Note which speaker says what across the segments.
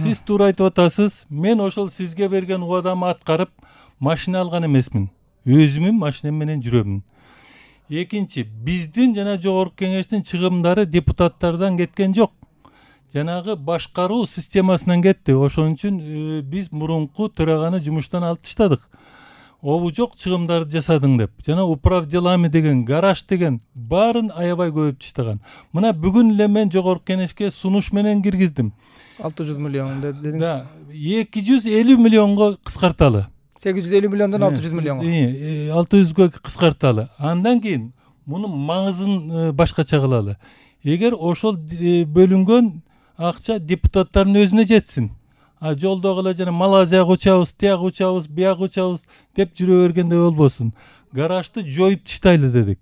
Speaker 1: Сиз туура айтып атасыз. Мен ошол сизге берген убадамды аткарып машина алган эмесмин. Өзүмүн машинем менен жүрөмүн. Экинчи, биздин жана жогорку кеңештин чыгымдары депутаттардан кеткен жок. Жанагы башкаруу системасынан кетти. Ошон үчүн биз мурунку төраганы жумуштан алып таштадык. Обу жок чыгымдарды жасадың деп. Жана управ делами деген, гараж деген баарын аябай көбөйүп таштаган. Мына бүгүн эле мен жогорку кеңешке сунуш менен киргиздим.
Speaker 2: 600 миллион дедиңиз.
Speaker 1: Да, 250 миллионго кыскарталы.
Speaker 2: 850 миллиондон 600 миллионго.
Speaker 1: 600гө кыскарталы. Андан кийин мунун маңызын башкача кылалы. Эгер ошол бөлүнгөн акча депутаттардын өзүнө жетсин. Жолдогу эле жана Малайзияга учабыз, тияга учабыз, бияга учабыз деп жүрө бергенде болбосун. Гаражды жоюп таштайлы дедик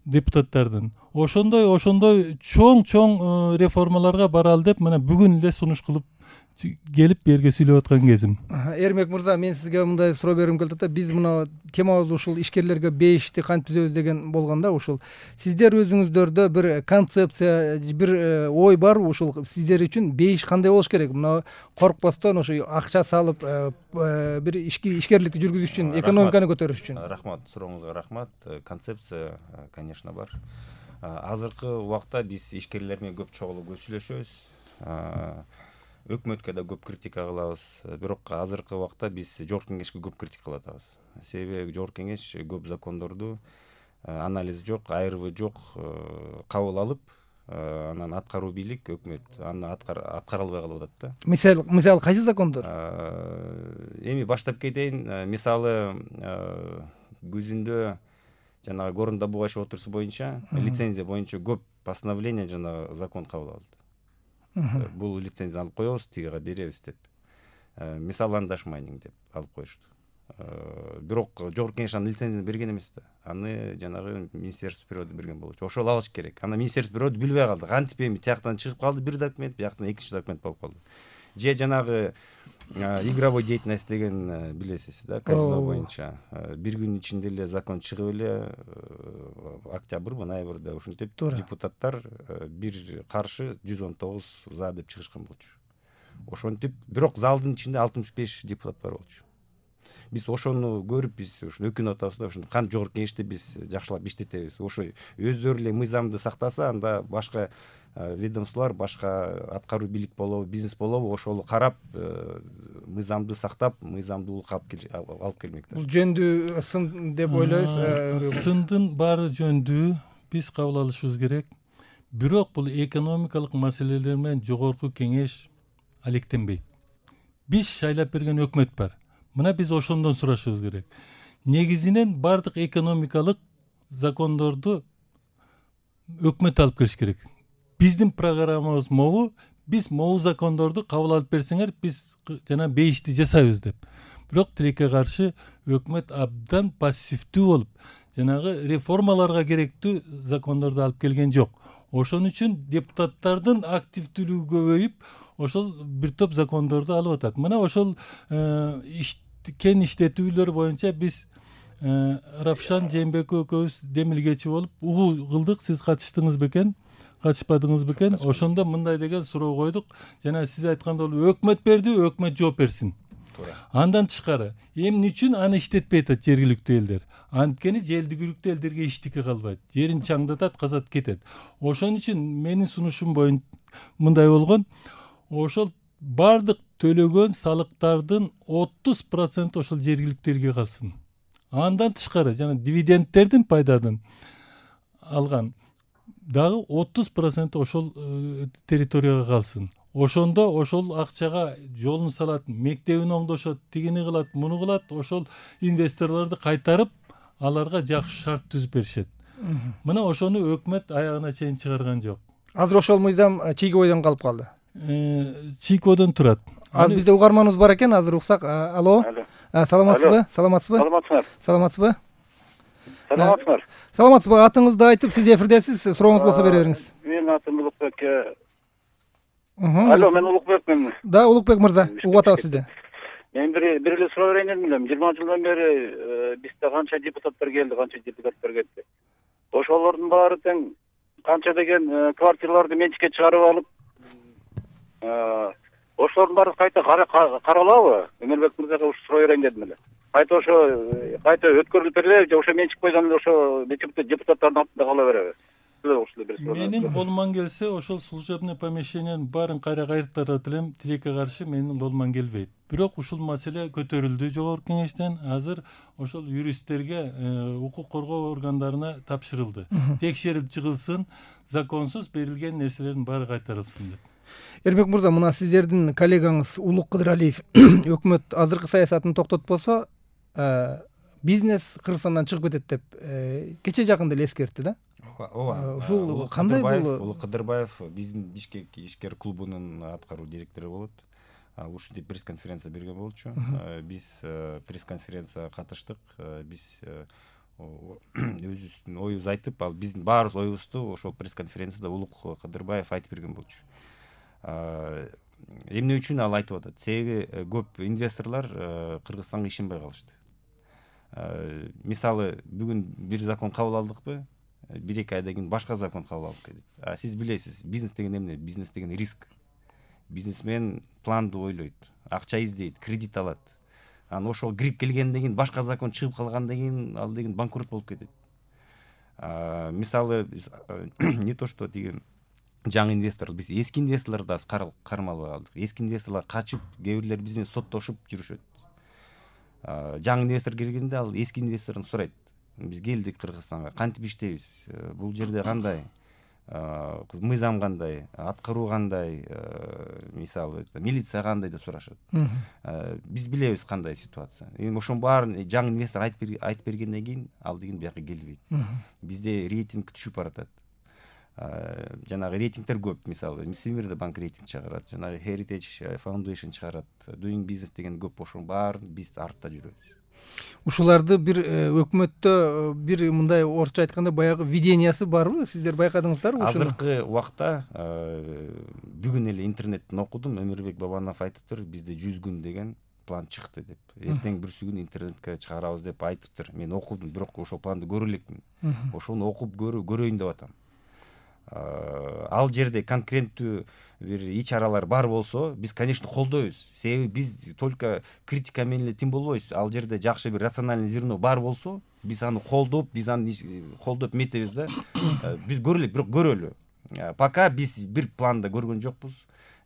Speaker 1: депутаттардын. Ошондой чоң реформаларга баралы деп мына бүгүн эле сунуш кылып келип берге сүйлөп аткан кезим.
Speaker 2: Эрмек мырза, мен сизге мындай суроо бергим келди да. Биз мына темабыз ушул ишкерлерге бейишти кантип түзөбүз деген болгондо, ушул сиздер өзүңүздөрдө бир концепция, бир ой бар. Ушул сиздер үчүн бейиш кандай болуш керек? Мына коркпостон ошо акча салып бир ишкерликти жүргүзүш үчүн, экономиканы көтөрүш үчүн.
Speaker 3: Рахмат, сурооңузга рахмат. Концепция, конечно, бар. Азыркы убакта биз ишкерлер менен көп сүйлөшөбүз. Өкмөткө да көп критика кылабыз. Бирок азыркы убакта биз жогорку кеңешке көп критика кылып атабыз. Себеби жогорку кеңеш көп закондорду анализ жок, айрыбы жок кабыл алып, анан аткаруу бийлик өкмөт аны аткара албай калып атат да.
Speaker 2: Мисалы кайсы закондор?
Speaker 3: Эми баштап кетейин. Мисалы күзүндө жанагы Горун добывающий отрасль боюнча, лицензия боюнча көп постановление жана закон кабыл алды. Бул лицензияны алып коебуз, тигиге беребиз деп. Мисаландаш майнинг деп алып коюшту. Бирок жогорку кеңеш аны лицензияны берген эмес да. Аны жанагы Министерство природы берген болчу. Ошол алыш керек. Анда Министерство природы билбей калды. Кантип эми тияктан чыгып калды бир документ, бияктан экинчи документ болуп калды. Же жанагы игровой деятельность деген билесиз да, казино боюнча. Бир күн ичинде эле закон чыгып эле октябрь, ноябрда ушинтип депутаттар бир каршы 119 за деп чыгышкан болчу. Ошентип, бирок залдын ичинде 65 депутат бар болчу. Биз ошону көрүп, биз ушуну өкүнүп атабыз да, ушуну кантип жогорку кеңеште биз жакшылап иштетебиз. Ошо өздөрү эле мыйзамды сактаса, анда башка ведомстволор, башка аткаруу бийлик болобу, бизнес болобу, ошол карап мыйзамды сактап, мыйзамдуулукка алып келмек.
Speaker 2: Бул жөндүү сын деп ойлойсуз?
Speaker 1: Сындын баары жөндүү, биз кабыл алышыбыз керек. Бирок бул экономикалык маселелер менен жогорку кеңеш алектенбейт. Биз шайлап берген өкмөт бар. Мына биз ошондон сурашыбыз керек. Негизинен бардык экономикалык закондорду өкмөт алып келиш керек. Биздин программабыз могу, биз могу закондорду кабыл алып берсеңер, биз жана бейишти жасайбыз деп. Бирок тилекке каршы өкмөт абдан пассивдүү болуп, жанагы реформаларга керектүү закондорду алып келген жок. Ошон үчүн депутаттардын активдүүлүгү көбөйүп, ошол бир топ закондорду алып атат. Мына ошол кен иштетүүлөр боюнча биз Равшан Жээнбеков экөөбүз демилгечи болуп угуу кылдык. Сиз катыштыңыз бекен? Катышпадыңыз бекен? Ошондо мындай деген суроо койдук. Жана сиз айткандай өкмөт берди, өкмөт жооп берсин. Андан тышкары, эмне үчүн аны иштетпей атат жергиликтүү элдер? Анткени жергиликтүү элдерге эчтеке калбайт. Жерин чаңдатат, казат, кетет. Ошон үчүн менин сунушум боюнча мындай болгон. Ошол бардык төлөгөн салыктардын 30% ошол жергиликтүү элге калсын. Андан тышкары жана дивидендтердин пайдадын алган дагы 30% ошол территорияга калсын. Ошондо ошол акчага жолун салат, мектебин оңдошот, тигини кылат, муну кылат, ошол инвесторлорду кайтарып, аларга жакшы шарт түзүп беришет. Мына ошону өкмөт аягына чейин чыгарган жок.
Speaker 2: Азыр ошол мыйзам чийгибойдон калып калды.
Speaker 1: Чийгибойдон турат.
Speaker 2: Азыр бизде угарманыбыз бар экен, азыр уксак. Алло. Саламатсызбы? Саламатсызбы? Саламатсызбы? Атыңызды айтып, сиз эфирдесиз, сурооңуз болсо бере бериңиз.
Speaker 4: Менин атым Улукбек. Алло, мен Улукбекмин.
Speaker 2: Да, Улукбек мырза, угуп атабыз сизди.
Speaker 4: Мен бир эле суроо берейин дедим. 20 жылдан бери бизде канча депутаттар келди, канча депутаттар кетти. Ошолордун баары тең канча деген квартираларды менчикке чыгарып алып, ошолордун баарын кайта каралабы? Өмүрбек мырзага ушу суроо берейин дедим эле. Кайта кайта өткөрүлүп береби же ошо мен чыкпайдан эле ошо депутаттардын артында кала береби?
Speaker 1: Менин колуман келсе ошол служебный помещениянын баарын кайра кайыртырат элем, тилекке каршы менин колуман келбейт. Бирок ушул маселе көтөрүлдү жогорку кеңештен. Азыр ошол юристтерге, укук коргоо органдарына тапшырылды. Текшерип чыгылсын, законсуз берилген нерселердин баары кайтарылсын деп.
Speaker 2: Эрмек мырза, мына сиздердин коллегаңыз Улук Кыдыралиев өкмөт азыркы саясатын токтотпосо, бизнес Кыргызстандан чыгып кетет деп кече жакында эле эскертти да.
Speaker 3: Ооба.
Speaker 2: Ушул кандай болду?
Speaker 3: Улук Кыдырбаев биздин Бишкек ишкер клубунун аткаруу директору болот. Ал ушинтип пресс-конференция берген болчу. Биз пресс-конференцияга катыштык. Биз өзүбүздүн оюбузду айтып, ал биздин баарыбыз оюбузду ошол пресс-конференцияда Улук Кыдырбаев айтып берген болчу. Эмне үчүн ал айтып атат? Себеби көп инвесторлор Кыргызстанга ишенбей калышты. Мисалы, бүгүн бир закон кабыл алдыкпы? 1-2 айдан кийин башка закон кабыл алып кетет. Сиз билесиз, бизнес деген эмне? Бизнес деген риск. Бизнесмен планды ойлойт, акча издейт, кредит алат. Анан ошол кирип келгенден кийин башка закон чыгып калгандан кийин ал деген банкрот болуп кетет. Мисалы, не то что деген жаңы инвестор, биз эски инвесторлорду да кармалбай калдык. Эски инвесторлор качып, кээ бирлер биз менен соттошуп жүрүшөт. Жаңы инвестор келгенде ал эски инвестордон сурайт: биз келдик Кыргызстанга, кантип иштейбиз? Бул жерде кандай? Мыйзам кандай? Аткаруу кандай? Мисалы, милиция кандай деп сурашат. Биз билебиз кандай ситуация. Эми ошонун баарын жаңы инвестор айтып бергенден кийин ал деген бияка келбейт. Бизде рейтинг түшүп баратат. Жанагы рейтингтер көп. Мисалы, Всемирный банк рейтинг чыгарат, жанагы Heritage Foundation чыгарат, Doing Business деген көп. Ошонун баарын биз артта жүрөбүз.
Speaker 2: Ушуларды бир өкмөттө бир мындай орусча айтканда баягы видениясы барбы? Сиздер байкадыңыздарбы ушуну?
Speaker 3: Азыркы убакта бүгүн эле интернеттен окудум, Өмүрбек Бабанов айтыптыр, бизде 100 күн деген план чыкты деп. Эртең бүрсү күн интернетке чыгарабыз деп айтыптыр. Мен окудум, бирок ошол планды көрө элекмин. Ошону окуп көрөйүн деп атам. Ал жерде конкреттүү бир иш-чаралар бар болсо, биз, конечно, колдойбуз. Себеби биз только критика менен эле тим болбойбуз. Ал жерде жакшы бир рациональный зерно бар болсо, биз аны колдоп, метебиз да. Биз көрө элек, бирок көрөлү. Пока биз бир планда көргөн жокпуз.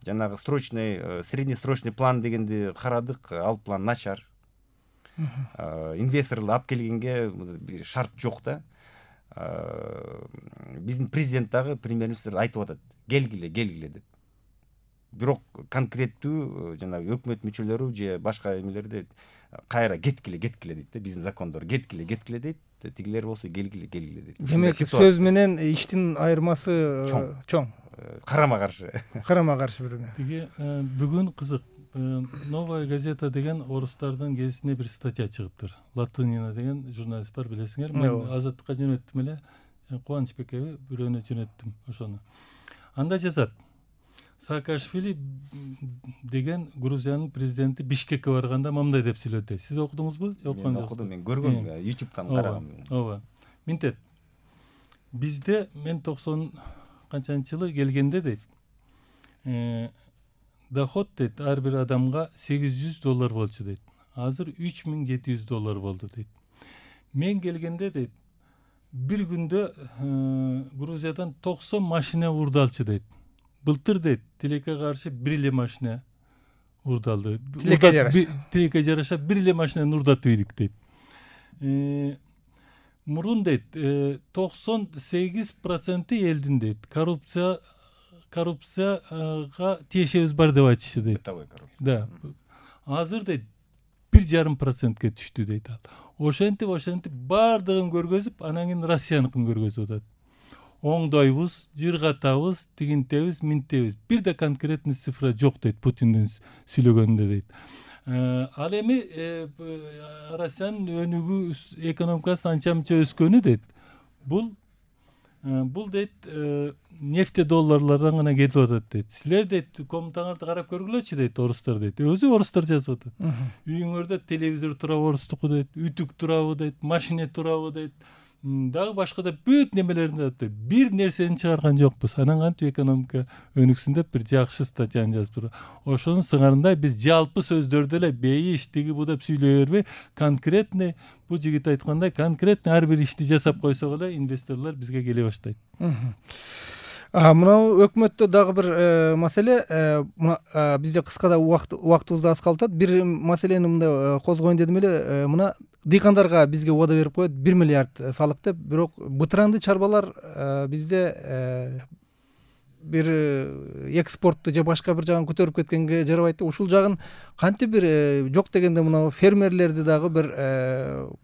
Speaker 3: Жанагы среднесрочный план дегенди карадык, ал план начар. Инвесторлорду алып келгенге шарт жок да. Биздин президент дагы, премьер-министр айтып атат: келгиле деп. Бирок конкреттүү жанагы өкмөт мүчөлөрү же башка эмелерде кайра кеткиле дейт да. Биздин закондор кеткиле дейт. Тигилер болсо келгиле дейт.
Speaker 2: Демек сөз менен иштин айырмасы чоң.
Speaker 3: Карама каршы
Speaker 2: бири.
Speaker 1: Тиги бүгүн кызык, Новая газета деген орустардын гезитине бир статья чыгыптыр. Латынина деген журналист бар, билесиңер. Мен Азаттыкка жөнөттүм эле. Кубанычбекке бирөөнө жөнөттүм ошону. Анда жазат: Саакашвили деген Грузиянын президенти Бишкекке барганда мындай деп сүйлөдү. Сиз окудуңузбу?
Speaker 3: Мен окудум, мен көргөм, YouTube'дан карагам.
Speaker 1: Ооба. Минтет. Бизде мен 90 канчанчы жылы келгенде дейт, доход дейт ар бир адамга $800 болчу дейт. Азыр $3700 болду дейт. Мен келгенде дейт, бир күндө Грузиядан 90 машина урдалчы дейт. Былтыр дейт, тилекке каршы бир эле машина урдалды. Тилекке жараша бир эле машинаны урдатып ийдик дейт. Мурун дейт, 98% элдин дейт коррупцияга тиешебиз бар деп айтышты дейт. Да. Азыр дейт 1,5%ке түштү дейт ал. Ошентип бардыгын көргөзүп, анан кийин Россияныкын көргөзүп атат. Оңдойбуз, жыргатабыз, тигинтебиз, минтебиз. Бир да конкретный цифра жок дейт Путиндин сүйлөгөнүндө дейт. Ал эми Россиянын өнүгүү экономикасы анча-мынча өскөнү дейт. Бул дейт нефть долларлардан гана келип атат дейт. Силер дейт комнатаңарды карап көргүлөчү дейт, орустар дейт. Өзү орустар жазып атат. Үйүңөрдө телевизор турабы орустуку дейт, үтүк турабы дейт, машина турабы дейт. дагы башка да бүт немелеринде атты. Бир нерсени чыгарган жокпуз. Анан кантип экономика өнүксүн деп бир жакшы статьяны жазып. Ошонун сыңарында биз жалпы сөздөрдө эле бейиш тиги бу деп сүйлөй бербей, конкретный бу жигит айткандай конкретный ар бир ишти жасап койсок эле инвесторлор бизге келе баштайт.
Speaker 2: Мына өкмөттө дагы бир маселе, бизде кыскада убактыбыз да аз калып атат. Бир маселени мындай козгоюн дедим эле, мына дыйкандарга бизге убада берип коет 1 миллиард салык деп, бирок бытыранды чарбалар бизде бир экспортты же башка бир жагын көтөрүп кеткенге жарабайт деп, ушул жагын кантип бир жок дегенде мына фермерлерди дагы бир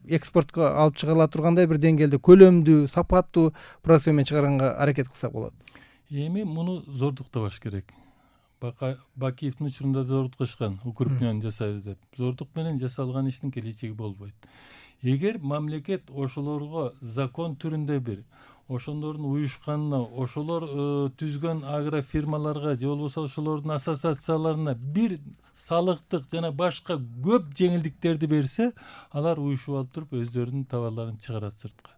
Speaker 2: экспортко алып чыгыла тургандай бир деңгээлде көлөмдүү, сапаттуу продукция менен чыгарганга аракет кылсак болот.
Speaker 1: Эми муну зордуктабаш керек. Бакиевдин учурунда зордукташкан, укрупнен жасайбыз деп. Зордук менен жасалган иштин келечеги болбойт. Эгер мамлекет ошолорго закон түрүндө бир ошондордун уюшканына, ошолор түзгөн агрофирмаларга же болбосо ошолордун ассоциацияларына бир салыктык жана башка көп жеңилдиктерди берсе, алар уюшуп алып туруп өздөрүнүн товарларын чыгарат сыртка.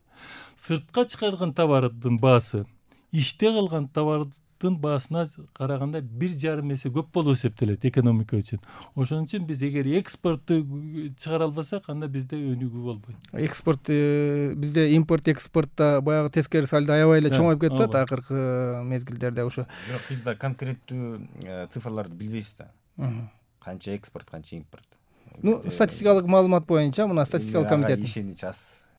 Speaker 1: Сыртка чыгарган товардын баасы иште калган товардын баасына караганда 1,5 эсе көп болуп эсептелет экономика үчүн. Ошон үчүн биз эгер экспортту чыгара албасак, анда бизде өнүгүү болбойт.
Speaker 2: Экспорт бизде импорт экспортто баягы тескери сальдо аябай эле чоңоюп кетип атат акыркы мезгилдерде. Ошо
Speaker 3: бирок биз да конкреттүү цифрларды билбейбиз да. Канча экспорт, канча импорт.
Speaker 2: Статистикалык маалымат боюнча, мына статистикалык комитет
Speaker 3: ишенич аз.